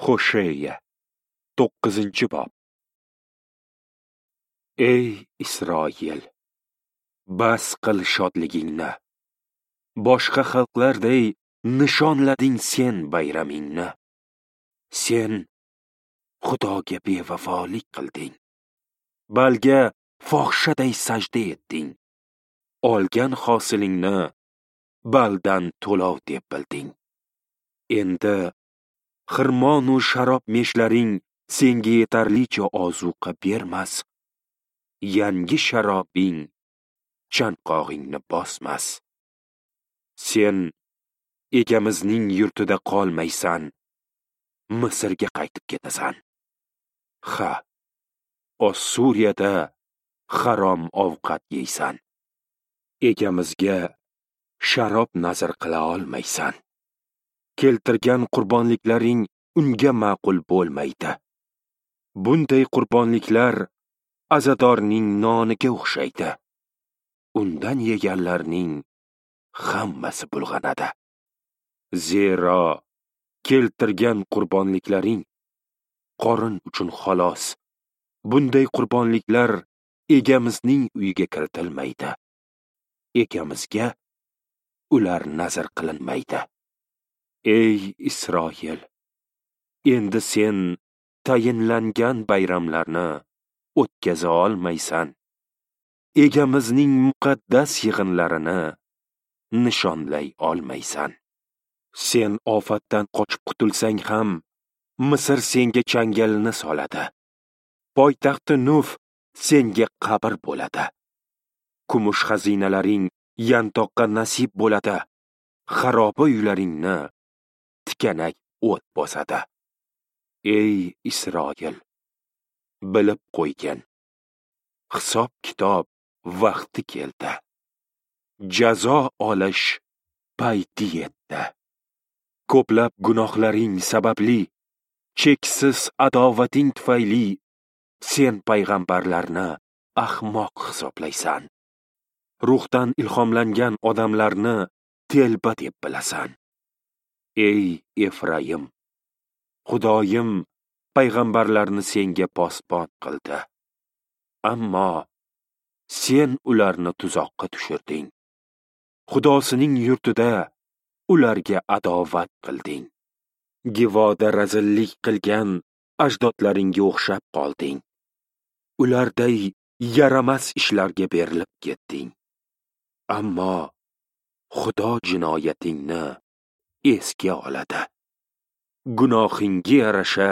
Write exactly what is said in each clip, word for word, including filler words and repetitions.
Hosheya to'qqizinchi bob. Ey Isroil, bas qil shodligingni. Boshqa xalqlarday nishonlading sen bayramingni. Sen Xudoga bevafolik qilding. Balga fohishaday sajda etding. Olgan hosilingni baldan to'lov deb bilding. Endi xirmon u sharob meshlaring senga yetarlicha ozuqa bermas. Yangi sharobing chanqog'ingni bosmas. Sen egamizning yurtida qolmaysan, Misrga qaytib ketasan. Ha, Ossuriyada harom ovqat yeysan. Egamizga sharob nazr qila olmaysan. Keltirgan qurbonliklaring unga ma'qul bo'lmaydi. Bunday qurbonliklar azadorning noniga o'xshaydi. Undan yeganlarning hammasi bulg'anadi. Zero keltirgan qurbonliklaring qorin uchun xolos. Bunday qurbonliklar egamizning uyiga kiritilmaydi. Egamizga ular nazr qilinmaydi. Ey Isroil, endi sen tayinlangan bayramlarni o'tkaza olmaysan. Egamizning muqaddas yig'inlarini nishonlay olmaysan. Sen ofatdan qochib qutulsang ham, Misr senga changalini soladi. Poytaxti Nuf senga qabr bo'ladi. Kumush xazinalaring yantoqqa nasib bo'ladi. Xaroba uylaringni tikanak o't bosadi. Ey Isroil, bilib qo'ygin, hisob-kitob vaqti keldi. Jazo olish payti yetdi. Ko'plab gunohlaring sababli, cheksiz adovating tufayli sen payg'ambarlarni ahmoq hisoblaysan. Ruhdan ilhomlangan odamlarni telba deb bilasan. Ey Efraim, Xudoyim payg'ambarlarni senga posbon qildi. Ammo sen ularni tuzoqqa tushirding. Xudosining yurtida ularga adovat qilding. Givoda razillik qilgan ajdodlaringga o'xshab qolding. Ularday yaramas ishlarga berilib ketding. Ammo Xudo jinoyatingni esga oladi. Gunohingga yarasha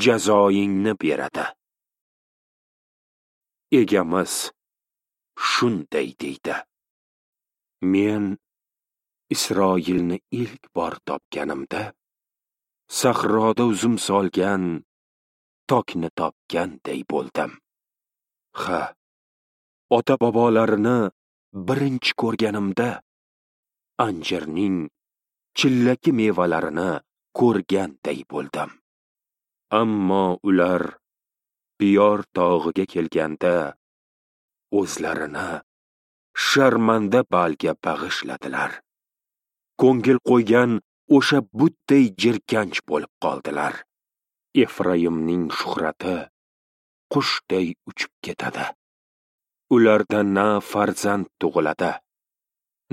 jazoingni beradi. Egamiz shunday deydi: Men Isroilni ilk bor topganimda, sahroda uzum solgan tokni topganday bo'ldim. Ha, ota-bobolarini birinchi ko'rganimda, anjirning chillaki mevalarini ko'rganday bo'ldim. Ammo ular Piyor tog'iga kelganda o'zlarini sharmanda balga bag'ishladilar. Ko'ngil qo'ygan o'sha butday jirkanch bo'lib qoldilar. Efraimning shuhrati qushday uchib ketadi. Ularda na farzand tug'iladi,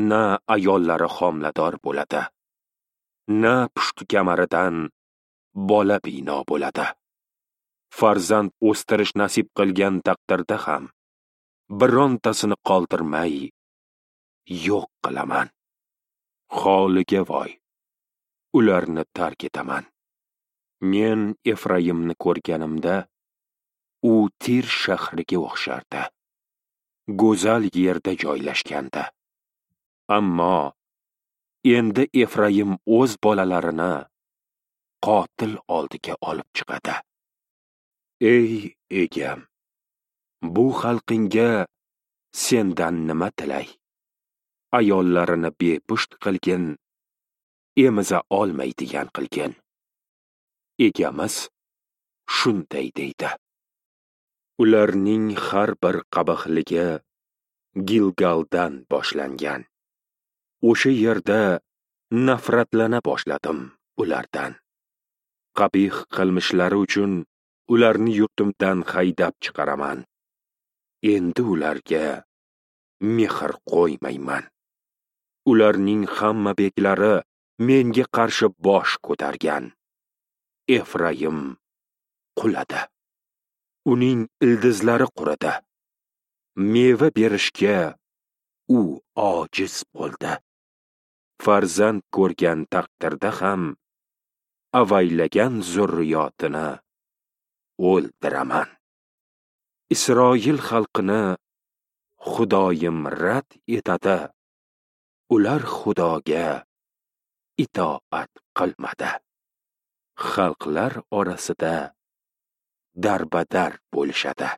na ayollari homilador bo'ladi, na pushti kamaridan bola bino bo'ladi. Farzand o'stirish nasib qilgan taqdirda ham birontasini qoldirmay yo'q qilaman. Holiga voy, ularni tark etaman. Men Efraimni ko'rganimda, u Tir shahriga o'xshardi. Go'zal yerda joylashgandi. Ammo endi Efraim o'z bolalarini qotil oldiga olib chiqadi. Ey egam, bu xalqingga sendan nima tilay? Ayollarini bepusht qilgin, emiza olmaydigan qilgin. Egamiz shunday deydi: Ularning har bir qabahligi Gilgaldan boshlangan. O'sha yerda nafratlana boshladim ulardan. Qabih qilmishlari uchun ularni yurtimdan haydab chiqaraman. Endi ularga mehr qo'ymayman. Ularning hamma beklari menga qarshi bosh ko'targan. Efraim quladi. Uning ildizlari quridi. Meva berishga u ojiz bo'ldi. Farzand ko'rgan taqdirda ham avaylagan zurriyotini o'ldiraman. Isroil xalqini Xudoyim rad etadi. Ular Xudoga itoat qilmadi. Xalqlar orasida darbadar bo'lishadi.